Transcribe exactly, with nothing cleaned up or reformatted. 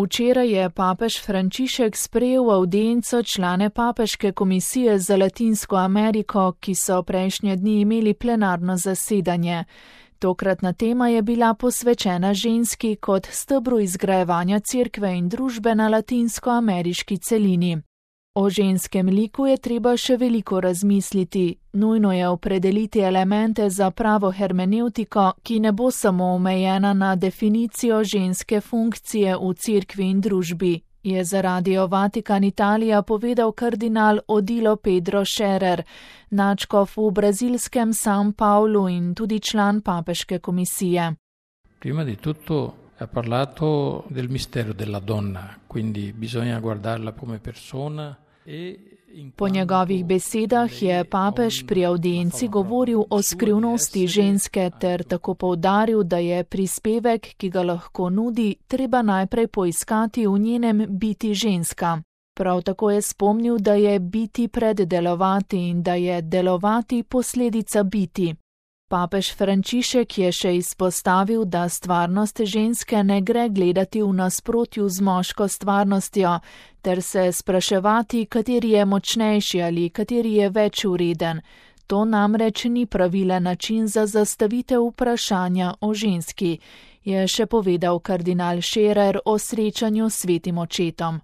Včeraj je papež Frančišek sprejel v avdienco člane papeške komisije za Latinsko Ameriko, ki so prejšnje dni imeli plenarno zasedanje. Tokratna tema je bila posvečena ženski kot stebru izgrajevanja cerkve in družbe na latinskoameriški celini. O ženskem liku je treba še veliko razmisliti. Nujno je opredeliti elemente za pravo hermenevtiko, ki ne bo samo omejena na definicijo ženske funkcije v cerkvi in družbi, je za Radio Vatikan Italija povedal kardinal Odilo Pedro Scherer, nadškof v brazilskem San Paulu in tudi član papeške komisije. Prima di tutto ha parlato del mistero della donna, quindi bisogna guardarla come persona. Po njegovih besedah je papež pri avdienci govoril o skrivnosti ženske ter tako poudaril, da je prispevek, ki ga lahko nudi, treba najprej poiskati v njenem biti ženska. Prav tako je spomnil, da je biti preddelovati in da je delovati posledica biti. Papež Frančišek je še izpostavil, da stvarnost ženske ne gre gledati v nasprotju z moško stvarnostjo, ter se spraševati, kateri je močnejši ali kateri je več vreden. To namreč ni pravilen način za zastavitev vprašanja o ženski, je še povedal kardinal Scherer o srečanju s svetim očetom.